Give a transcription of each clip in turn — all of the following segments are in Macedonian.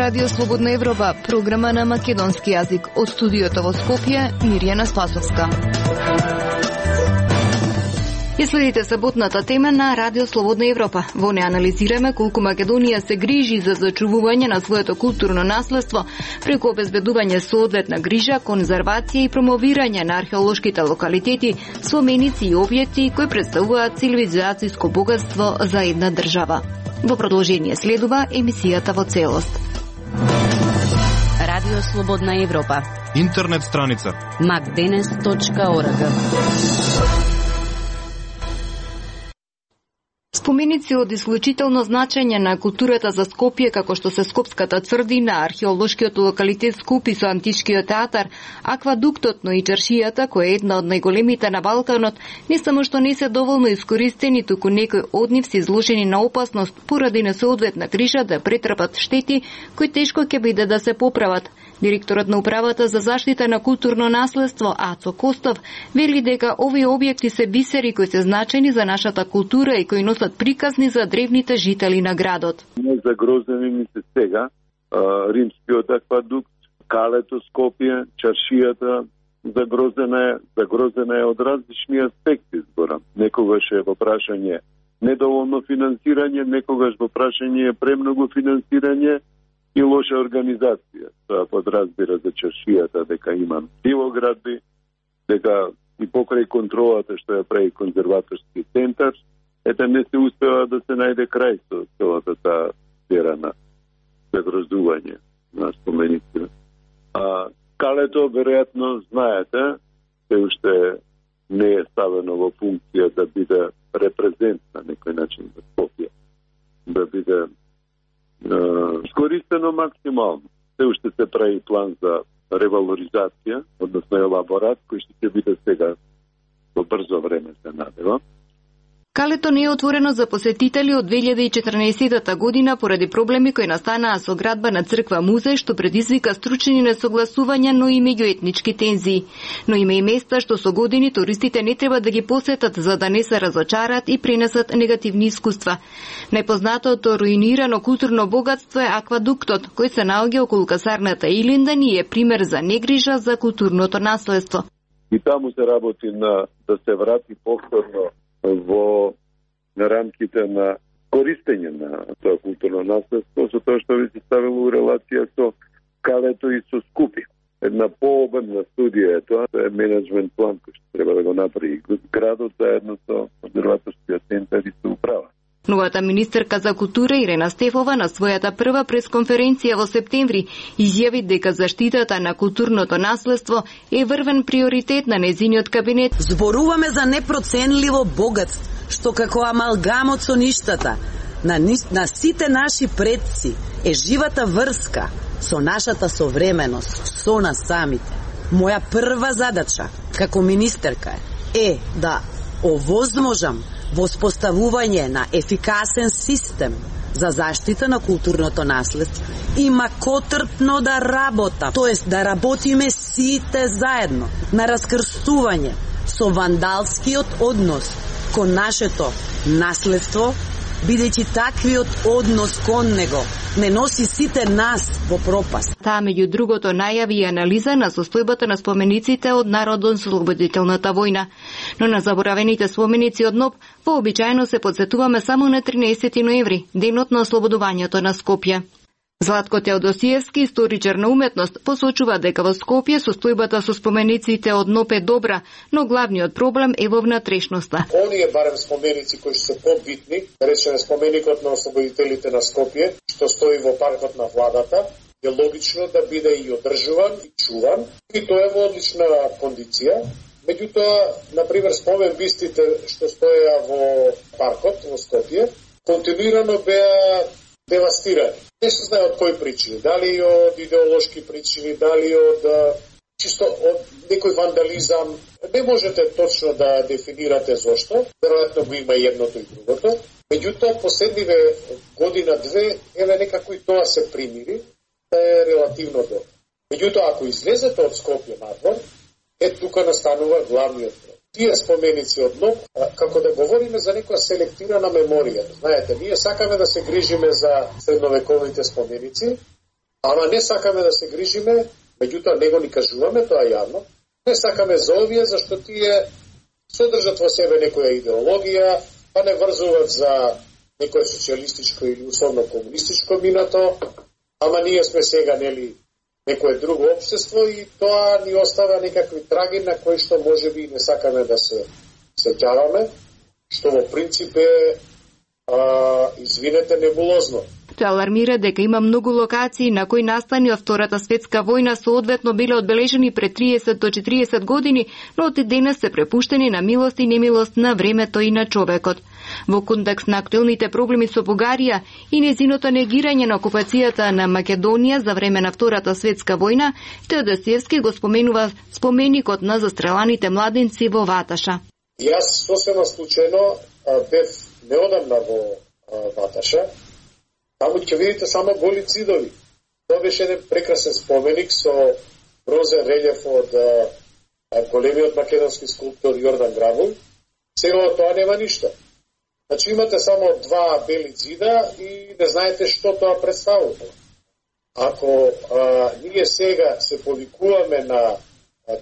Радио Слободна Европа, програма на македонски јазик. Од студиото во Скопје, Мирјана Спасовска. Ја следите саботната тема на Радио Слободна Европа. Во неа анализираме колку Македонија се грижи за зачувување на своето културно наследство преку обезбедување соодветна грижа, конзервација и промовирање на археолошките локалитети, споменици и објекти кои представуваат цивилизацијско богатство за една држава. Во продолжение следува емисијата во целост. Радио Слободна Европа. Интернет страница macdenes.org. Споменици од исклучително значење на културата за Скопје, како што се Скопската црдина, археолошкиот локалитет Скупи со античкиот театар, аквадуктот, но и чаршијата, која е една од најголемите на Балканот, не само што не се доволно искористени, туку некои од нив се изложени на опасност поради несоодветна грижа да претрпат штети кои тешко ќе биде да се поправат. Директорот на управата за заштита на културно наследство Ацо Костов вели дека овие објекти се бисери кои се значени за нашата култура и кои носат приказни за древните жители на градот. Загрозени ни се сега римскиот аквадукт, калето Скопје, чаршијата загрозена е од различни аспекти зборам. Некогаш е во прашање недоволно финансирање, некогаш во прашање е премногу финансирање и лоша организација. Тоа подразбира за чаршијата дека има дивоградби, дека и покрај контролата што ја прави конзерваторски центар, не се успева да се најде крај со целата таа сфера на загрозување на споменици. Калето, веројатно, знаете, се уште не е ставено во функција да биде репрезент на некој начин за Скопје, да биде искористено максимално. Се уште се прави план за ревалоризација, односно елаборат, кој ќе биде сега во брзо време се надева. Калето не е отворено за посетители од 2014 година поради проблеми кои настанаа со градба на црква музеј, што предизвика стручни несогласувања, но и меѓуетнички тензии. Но има и места што со години туристите не треба да ги посетат за да не се разочарат и пренесат негативни искуства. Најпознатото руинирано културно богатство е аквадуктот, кој се наоѓа околу касарната Илиндан и е пример за негрижа за културното наследство. И таму се работи на да се врати повторно во рамките на користење на тоа културно наследство, со тоа што ви се ставило у релација со Калето и со Скупи. Една пообемна студија е тоа, тоа е менеджмент план кој што треба да го направи градот заедно со конзерваторскиот центар и со управа. Новата министерка за култура Ирена Стефова на својата прва пресконференција во септември изјави дека заштитата на културното наследство е врвен приоритет на нејзиниот кабинет. Зборуваме за непроценливо богатство, што како амалгамот со ништата на сите наши предци е живата врска со нашата современост, со нас самите. Моја прва задача како министерка е да овозможам воспоставување на ефикасен систем за заштита на културното наследство и макотрпно да работа, тоест да работиме сите заедно на раскрстување со вандалскиот однос кон нашето наследство, бидејќи таквиот однос кон него не носи сите нас во пропаст. Таа меѓу другото најави и анализа на состојбата на спомениците од Народно-ослободителната војна. Но на заборавените споменици од НОБ вообичаено се подсетуваме само на 13 ноември, денот на ослободувањето на Скопје. Златко Теодосиевски, историчар на уметност, посочува дека во Скопје состојбата со спомениците од НОП е добра, но главниот проблем е во внатрешноста. Оние барем споменици кои се побитни, речеме споменикот на ослободителите на Скопје, што стои во паркот на владата, е логично да биде и одржуван и чуван, и тоа е во одлична кондиција. Меѓутоа, например, спомен бистите што стоеа во паркот во Скопје, континуирано беа девастирани. Не се знае од кои причини, дали од идеолошки причини, дали од чисто од некој вандализам. Не можете точно да дефинирате зошто, веројатно го има едното и другото. Меѓутоа, последниве година-две, некако и тоа се примири, да е релативно добро. Меѓутоа, ако излезете од Скопје надвор, тука настанува главниот проблем. Тие споменици од НОП, како да говориме за некоја селектирана меморија. Знаете, ние сакаме да се грижиме за средновековите споменици, Ама не сакаме да се грижиме, меѓутоа него ни кажуваме, тоа јавно, не сакаме за овие, зашто тие содржат во себе некоја идеологија, па не врзуват за некој социјалистичко или условно комунистичко минато, ама ние сме сега, нели, некое друго општество и тоа ни остава некакви траги на кои што можеби не сакаме да се сеќаваме, што во принцип е, извинете, небулозно. Тој алармира дека има многу локации на кои настани од Втората светска војна соодветно биле одбележени пред 30 до 40 години, но од денес се препуштени на милост и немилост на времето и на човекот. Во контекст на актуелните проблеми со Бугарија и незиното негирање на окупацијата на Македонија за време на Втората светска војна, Теодосиевски го споменува споменикот на застреланите младенци во Ваташа. Јас сосема случајно бев неодамна во Ваташа. Таму ќе видите само голи цидови. Тоа беше еден прекрасен споменик со бронзен релјеф од големиот македонски скулптор Јордан Грабул. Сега тоа нема ништо. Значи имате само два бели цида и не знаете што тоа представува. Ако ние сега се повикуваме на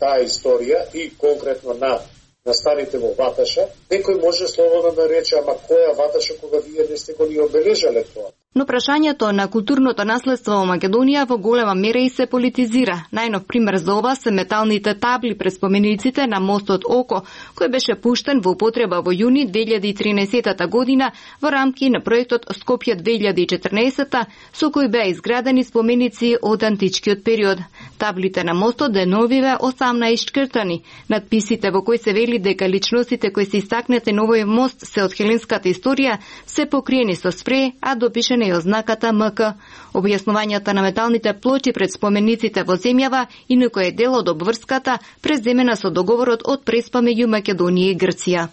таа историја и конкретно на настаните во Ваташа, некој може слободно да рече, ама која Ваташа кога вие не сте го ни обележале тоа? Но прашањето на културното наследство во Македонија во голема мера и се политизира. Најнов пример за ова се металните табли пред спомениците на мостот Око, кој беше пуштен во употреба во јуни 2013 година во рамки на проектот Скопје 2014, со кој беа изградени споменици од античкиот период. Таблите на мостот деновиве осамна ишчкртани. Надписите во кои се вели дека личностите кои се истакнете на овој мост се од хеленската историја се покриени со спреј, а допишена и ознаката МК. Објаснувањата на металните плочи пред спомениците во земјава и некој дел од обврската преземена со договорот од Преспа меѓу Македонија и Грција.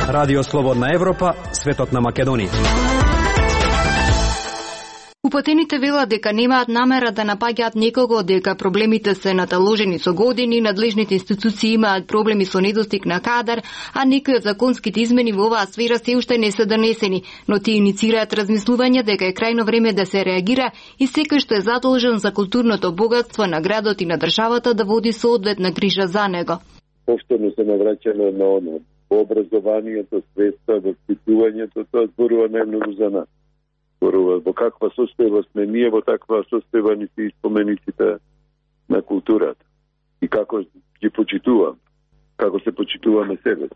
Радио Слободна Европа, светот на Македонија. Упатените велат дека немаат намера да напаѓаат некого, дека проблемите се наталожени со години, надлежните институции имаат проблеми со недостиг на кадар, а некои од законските измени во оваа сфера се уште не се донесени, но тие иницираат размислување дека е крајно време да се реагира и секој што е задолжен за културното богатство на градот и на државата да води соодветна грижа за него. Повторно се навраќаме на оно. Образованието, свеста, воспитувањето, тоа зборува најмногу за нас. Во каква состојба сме ние, во таква состојба ни се спомениците на културата. И како ги почитувам, како се почитуваме себе.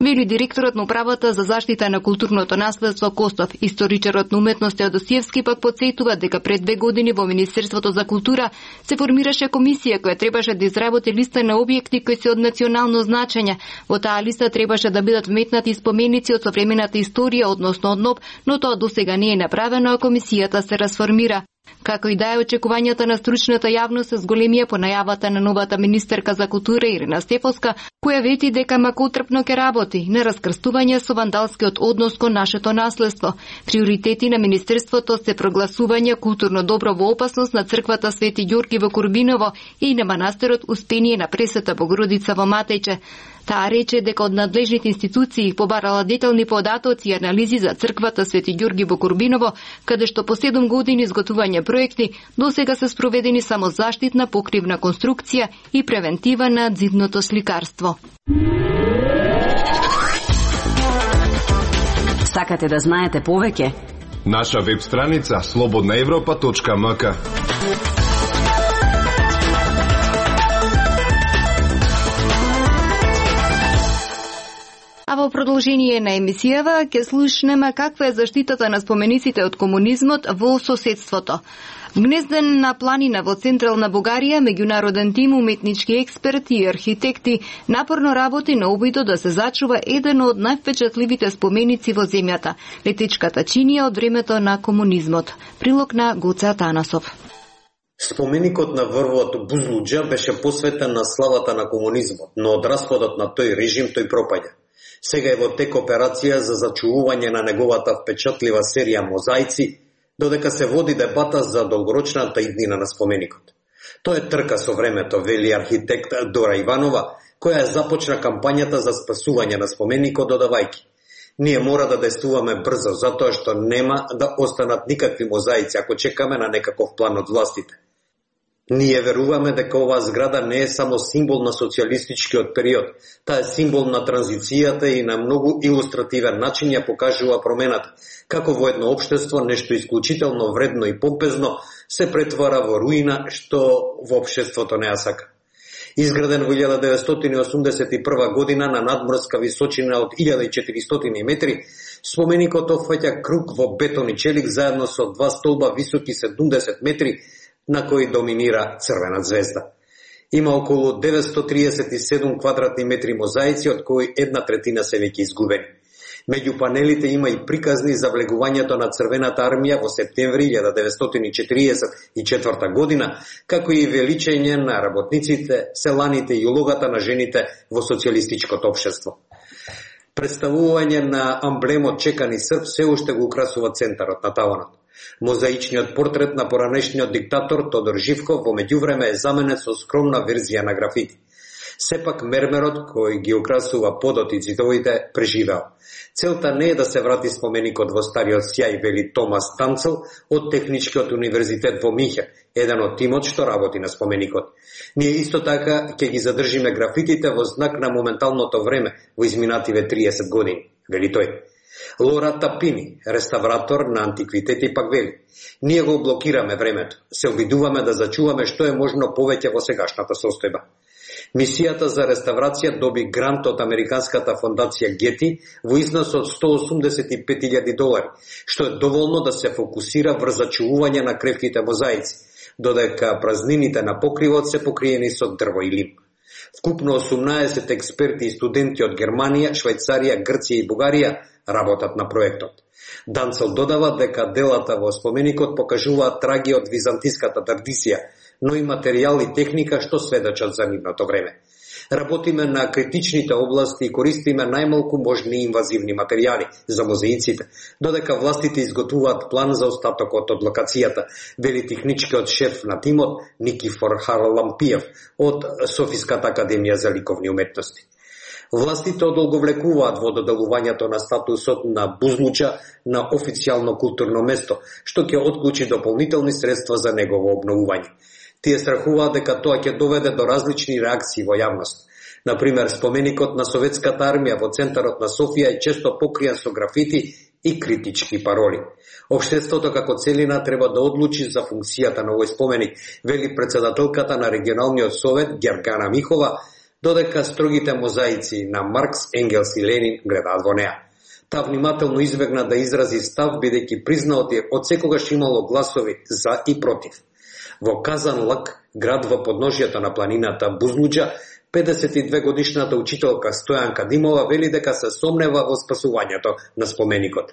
Вели директорот на управата за заштита на културното наследство Костов. Историчарот на уметност Теодосиевски пак потсетува дека пред 2 години во Министерството за култура се формираше комисија која требаше да изработи листа на објекти кои се од национално значење. Во таа листа требаше да бидат вметнати споменици од современата историја, односно од НОБ, но тоа досега не е направено, а комисијата се расформира. Како и да е очекувањата на стручната јавност се зголемија по најавата на новата министерка за култура Ирина Стефовска, која вети дека макотрпно ќе работи на раскрстување со вандалскиот однос кон нашето наследство. Приоритети на министерството се прогласување културно добро во опасност на црквата Свети Ѓорги во Курбиново и на манастирот Успение на Пресвета Богородица во Матејче. Таа рече дека од надлежните институции побарала детални податоци и анализи за црквата Свети Ѓорги во Курбиново, каде што по 7 години изготвување проекти, досега се спроведени само заштитна покривна конструкција и превентива на ѕидното сликарство. Сакате да знаете повеќе? Наша веб страница slobodnaevropa.mk. А во продолжение на емисијава ќе слушнеме каква е заштитата на спомениците од комунизмот во соседството. Гнезден на планина во централна Бугарија, меѓународен тим уметнички експерти и архитекти напорно работи на обидот да се зачува еден од највпечатливите споменици во земјата – летичката чинија од времето на комунизмот. Прилог на Гоце Атанасов. Споменикот на врвот Бузлуџа беше посветен на славата на комунизмот, но од распадот на тој режим тој пропаѓа. Сега е во тек операција за зачувување на неговата впечатлива серија мозаици, додека се води дебата за долгорочната иднина на споменикот. Тоа е трка со времето, вели архитект Дора Иванова, која започна кампањата за спасување на споменикот додавајќи: Ние мора да действуваме брзо, затоа што нема да останат никакви мозаици ако чекаме на некаков план од властите. Ние веруваме дека оваа зграда не е само символ на социјалистичкиот период, таа е символ на транзицијата и на многу илустративен начин ја покажува промената, како во едно општество нешто исклучително вредно и помпезно се претвара во руина што во општеството не ја сака. Изграден во 1981 година на надморска височина од 1400 метри, споменикот опфаќа круг во бетон и челик заедно со два столба високи 70 метри, на кои доминира црвена звезда. Има околу 937 квадратни метри мозаици, од кои 1/3 се веќе изгубени. Меѓу панелите има и приказни за влегувањето на Црвената армија во септември 1944 година, како и величење на работниците, селаните и улогата на жените во социјалистичкото општество. Представување на амблемот чекани срп се уште го украсува центарот на таванот. Мозаичниот портрет на поранешниот диктатор Тодор Живков во меѓувреме е заменет со скромна верзија на графити. Сепак мермерот кој ги украсува подот и зидовите преживеал. Целта не е да се врати споменикот во стариот сјај, вели Томас Танцел од Техничкиот универзитет во Минхен, еден од тимот што работи на споменикот. Ние исто така ќе ги задржиме графитите во знак на моменталното време во изминативе 30 години, вели тој. Лора Тапини, реставратор на антиквитети, пак вели: ние го блокираме времето, се обидуваме да зачуваме што е можно повеќе во сегашната состојба. Мисијата за реставрација доби грант од Американската фондација Гети во износ од $185,000, што е доволно да се фокусира врз зачувување на кревките мозаици, додека празнините на покривот се покриени со дрво и лим. Вкупно 18 експерти и студенти од Германија, Швајцарија, Грција и Бугарија работат на проектот. Данцел додава дека делата во споменикот покажуваат траги од византиската традиција, но и материјал и техника што сведочат за нивното време. Работиме на критичните области и користиме најмалку можни инвазивни материјали за мозаиците, додека властите изготвуваат план за остатокот од локацијата, вели техничкиот шеф на тимот Никифор Харалампиев од Софиската академија за ликовни уметности. Властите одолговлекуваат во доделувањето на статусот на Бузлуча на официјално културно место, што ќе отклучи дополнителни средства за негово обновување. Тие страхуваат дека тоа ќе доведе до различни реакции во јавност. Например, споменикот на Советската армија во центарот на Софија е често покриен со графити и критички пароли. Општеството како целина треба да одлучи за функцијата на овој споменик, вели председателката на регионалниот совет Гергана Михова, додека строгите мозаици на Маркс, Енгелс и Ленин гледаат во неа. Таа внимателно избегна да изрази став, бидејќи призна од секогаш имало гласови за и против. Во Казанлак, град во подножјето на планината Бузлуџа, 52 годишната учителка Стојанка Димова вели дека се сомнева во спасувањето на споменикот.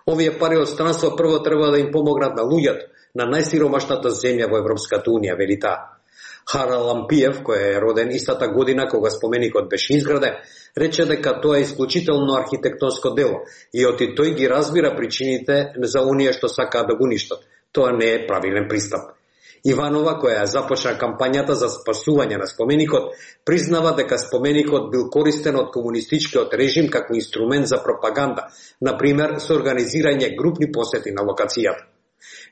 Овие пари од странство прво треба да им помогнат на луѓето на најсиромашната земја во Европската унија, вели таа. Харалампиев, кој е роден истата година кога споменикот беше изграден, рече дека тоа е исклучително архитектонско дело и оти тој ги разбира причините за оние што сакаат да го уништат. Тоа не е правилен пристап. Иванова, која започна кампањата за спасување на споменикот, признава дека споменикот бил користен од комунистичкиот режим како инструмент за пропаганда, например со организирање групни посети на локацијата.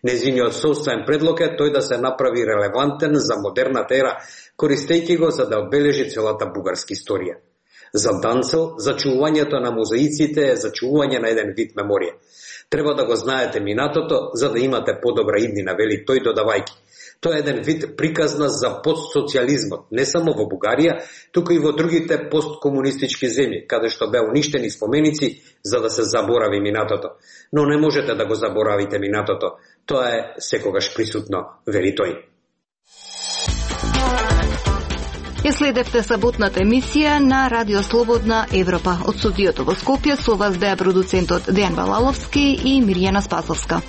Незиниот собствен предлог е тој да се направи релевантен за модерната ера, користејќи го за да одбележи целата бугарска историја. За Данцел, зачувувањето на мозаиците е зачувување на еден вид меморија. Треба да го знаете минатото, за да имате подобра иднина, вели тој додавајќи. Тоа е еден вид приказна за постсоциализмот, не само во Бугарија, туку и во другите посткомунистички земји, каде што беа уништени споменици за да се заборави минатото. Но не можете да го заборавите минатото. Тоа е секогаш присутно, вели тој. Ја следевте саботната емисија на Радио Слободна Европа. Од студиото во Скопје со вас беа продуцентот Дејан Балаловски и Мирјана Спасовска.